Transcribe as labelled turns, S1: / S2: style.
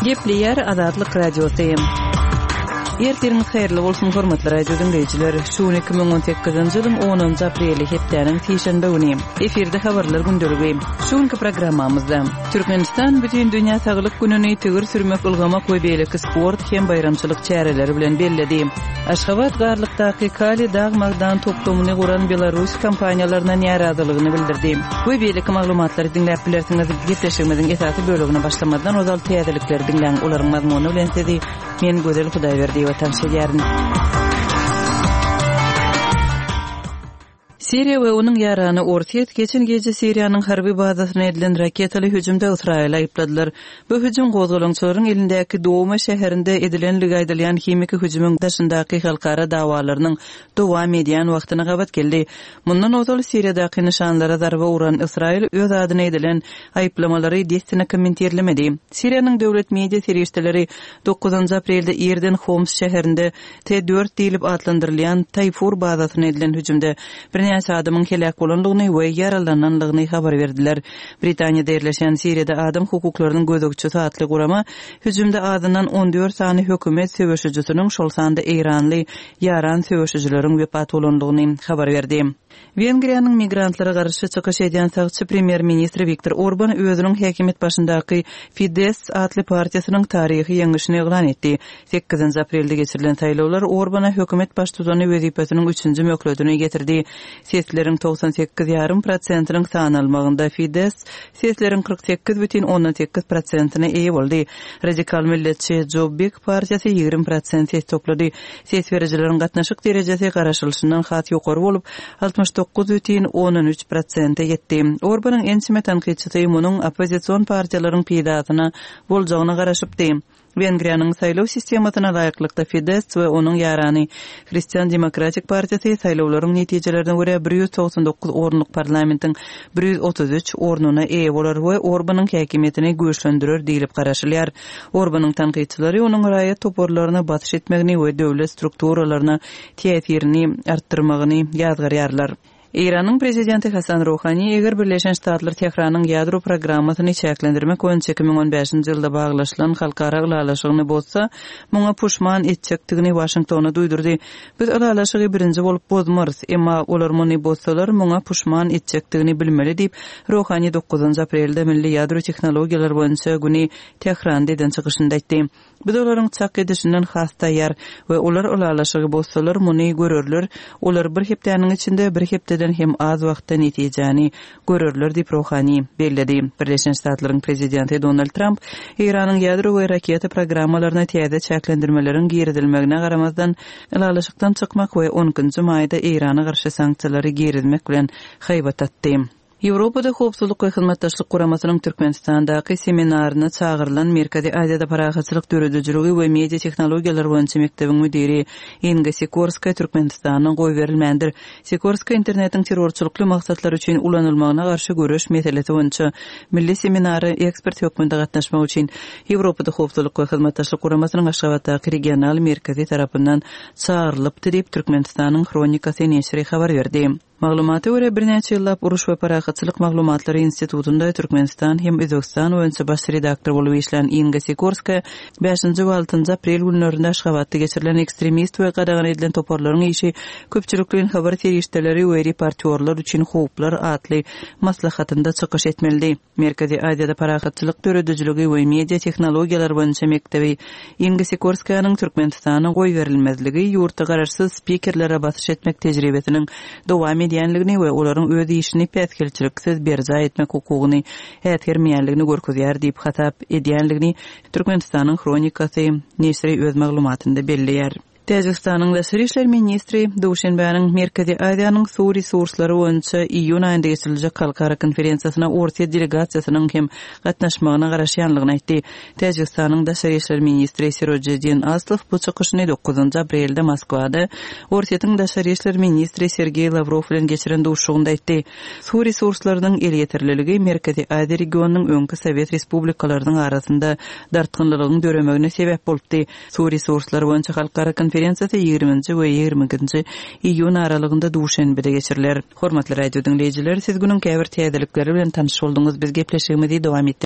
S1: Gepleýär Azatlyk Radiosy. Ertiriňiz haýyrly bolsun, hormatly radio diňleýjiler. Şu gün 2018-nji ýylyň 10-njy apreli, hepdäniň sişenbe güni. Efirde habarlar gündeligi. Şu günki programmamyzda Türkmenistan Bütindünýä saglyk gününi tigir sürmek, ylgamak we beýleki sport hem baýramçylyk çäreleri bilen belledi. Aşgabat Garlykdaky Kali dag-magdan toplumyny guran belarus kompaniýalaryna närazylygyny bildirdi. We beýleki maglumatlary diňläp bilersiňiz. Gepleşigimiziň esasy bölegine başlamazdan ozal täzelikleri diňläň, olaryň mazmuny bilen sizi men Gözel Hudaýberdiýewa tanyş edýärin. Siriýa we onuň ýarany Orsýet geçen gije Siriýanyň harby bazasyna edilen raketaly hüjümde Ysraýyly aýypladylar. Bu hüjüm gozgalaňçylaryň elindäki Douma şäherinde edilenligi aýdylýan himiki hüjümiň daşyndaky halkara dawalarynyň dowam edýän wagtyna gabat geldi. Mundan ozal Siriýadaky nyşanlara zarba uran Ysraýyl öz adyna edilen aýyplamalary dessine kommentirlemedi. Siriýanyň döwlet media serişdeleri dokuzynjy aprelde irden Homs şäherinde T dört diýlip atlandyrylýan Taýfur bazasyna edilen hüjümde birnäçe adamyň heläk bolandygyny we ýaralanandygyny habar berdiler. Britaniýada ýerleşýän Siriýada adam hukuklarynyň gözegçisi atly gurama hüjümde azyndan 14 sany hökümet söweşijisiniň, şol sanda eýranly ýaran söweşijileriň wepat bolandygyny habar berdi. Wengriýanyň migrantlara garşy çykyş edýän sagçy premýer-ministri Wiktor Orban özüniň häkimiýet başyndaky Fidesz atly partiýasynyň taryhy ýeňişini yglan etdi. Sekizinji aprelde geçirilen saýlawlar Orbana hökümet baştutany wezipesiniň üçünji möhletini getirdi. Sesleriň 98 ýarym prosentiniň sanalmagynda Fidesz sesleriň 48 bütin ondan sekiz prosentine eýe boldy. Radikal milletçi Jobbik partiýasy 20 prosent ses toplady. Ses berijileriň gatnaşyk derejesi garaşylyşyndan has ýokary bolup, 69 bütin ondan üç prosente ýetdi. Orbanyň ençeme tankytçysy munuň oppozision partiýalaryň peýdasyna boljagyna garaşypdy. Wengriýanyň saýlaw sistemasyna laýyklykda Fidesz we onuň ýarany Hristian demokratik partiýasy saýlawlaryň netijelerine görä 199 orunlyk parlamentiň 133 ornuna eýe bolar we Orbanyň häkimiýetini güýçlendirer diýlip garaşylýar. Orbanyň tankytçylary onuň raýat toparlaryna basyş etmegini we döwlet strukturalaryna täsirini artdyrmagyny ýazgarýarlar. Eýranyň prezidenti Hasan Ruhani eger Birleşen Ştatlar Tähranyň ýadro programmasyny çäklendirmek boýunça 2015-nji ýylda baglaşylan halkara ylalaşygyny bozsa, muňa puşman etjekdigini Waşingtona duýdurdy. Biz ylalaşygy birinji bolup bozmarys, emma olar muny bozsalar, muňa puşman etjekdigini bilmeli diýip, Ruhani dokuzynjy aprelde Milli ýadro tehnologiýalar boýunça güni Tähranda eden çykyşynda aýtdy. Biz olaryň çak edişinden has taýýar we olar ylalaşygy bozsalar, muny görerler, olar bir hepdäniň içinde, bir hepdeden hem az wagtda netijäni görerler diýip, Ruhani belledi. Birleşen Ştatlaryň prezidenti Donald Tramp Eýranyň ýadro we raketa programmalaryna täze çäklendirmeleriň girizilmegine garamazdan, ylalaşykdan çykmak we on ikinji maýda Eýrana garşy sanksiýalary girizmek bilen haýbat atdy. Ýewropada Howpsuzlyk we Hyzmatdaşlyk Guramasynyň Türkmenistandaky seminaryna çagyrylan Merkezi Aziýada parahatçylyk döredijiligi we media tehnologiýalary boýunça mekdebiň müdiri Inga Sikorskaýa Türkmenistana goýberilmändir. Sikorskaýa internetiň terrorçylykly maksatlar üçin ulanylmagyna garşy göreş meselesi boýunça milli seminara ekspert hökmünde gatnaşmak üçin Ýewropada Howpsuzlyk we Hyzmatdaşlyk Guramasynyň Aşgabatdaky regional merkezi tarapyndan çagyrylypdy diýip, Türkmenistanyň Hronikasy neşiri habar berdi. Maglumata görä, birnäçe ýyllap Uruş we parahatçylyk maglumatlary institutynda Türkmenistan hem Özbegistan boýunça baş redaktor bolup işlän Inga Sikorskaýa bäşinji we altynjy aprel günlerinde Aşgabatda geçirilen Ekstremist we gadagan edilen toparlaryň işi, köpçülikleýin habar serişdeleri we reportýorlar üçin howplar atly maslahatynda çykyş etmelidi. Merkezi Aziýada parahatçylyk döredijiligi we media tehnologiýalary boýunça mekdebi Inga Sikorskaýanyň Türkmenistana goýberilmezligi ýurtda garaşsyz spikerlere basyş etmek tejribesiniň dowam edýänligini we olaryň öz işini päsgelçiliksiz berjaý etmek hukugyny äsgermeýänligini görkezýär diýip hasap edýänligini Türkmenistanyň Hronikasy neşiri öz maglumatynda belleýär. Täjigistanyň daşary işler ministri Duşenbäniň Merkezi Aziýanyň suw resurslary boýunça iýun aýynda geçiriljek halkara konferensiýasyna Orsýet delegasiýasynyň hem gatnaşmagyna garaşýanlygyny aýtdy. Täjigistanyň daşary işler ministri Sirojiddin Aslow bu çykyşyny dokuzynjy aprelde Moskwada Orsýetiň daşary işler ministri Sergeý Lawrow bilen geçiren duşuşygynda aýtdy. Suw resurslarynyň elýeterliligi Merkezi Aziýa regionynyň öňki sowet respublikalarynyň arasynda dartgynlylygyň döremegine sebäp bolupdy. Suw resurslary boýunça halkara konferensiýasy ýigriminji we 22 ikinji iýun aralygynda Duşenbede geçiriler. Hormatly radio diňleýjiler, siz günüň käbir täzelikleri bilen tanyş bolduňyz. Biz gepleşigimizi dowam etdirýäris.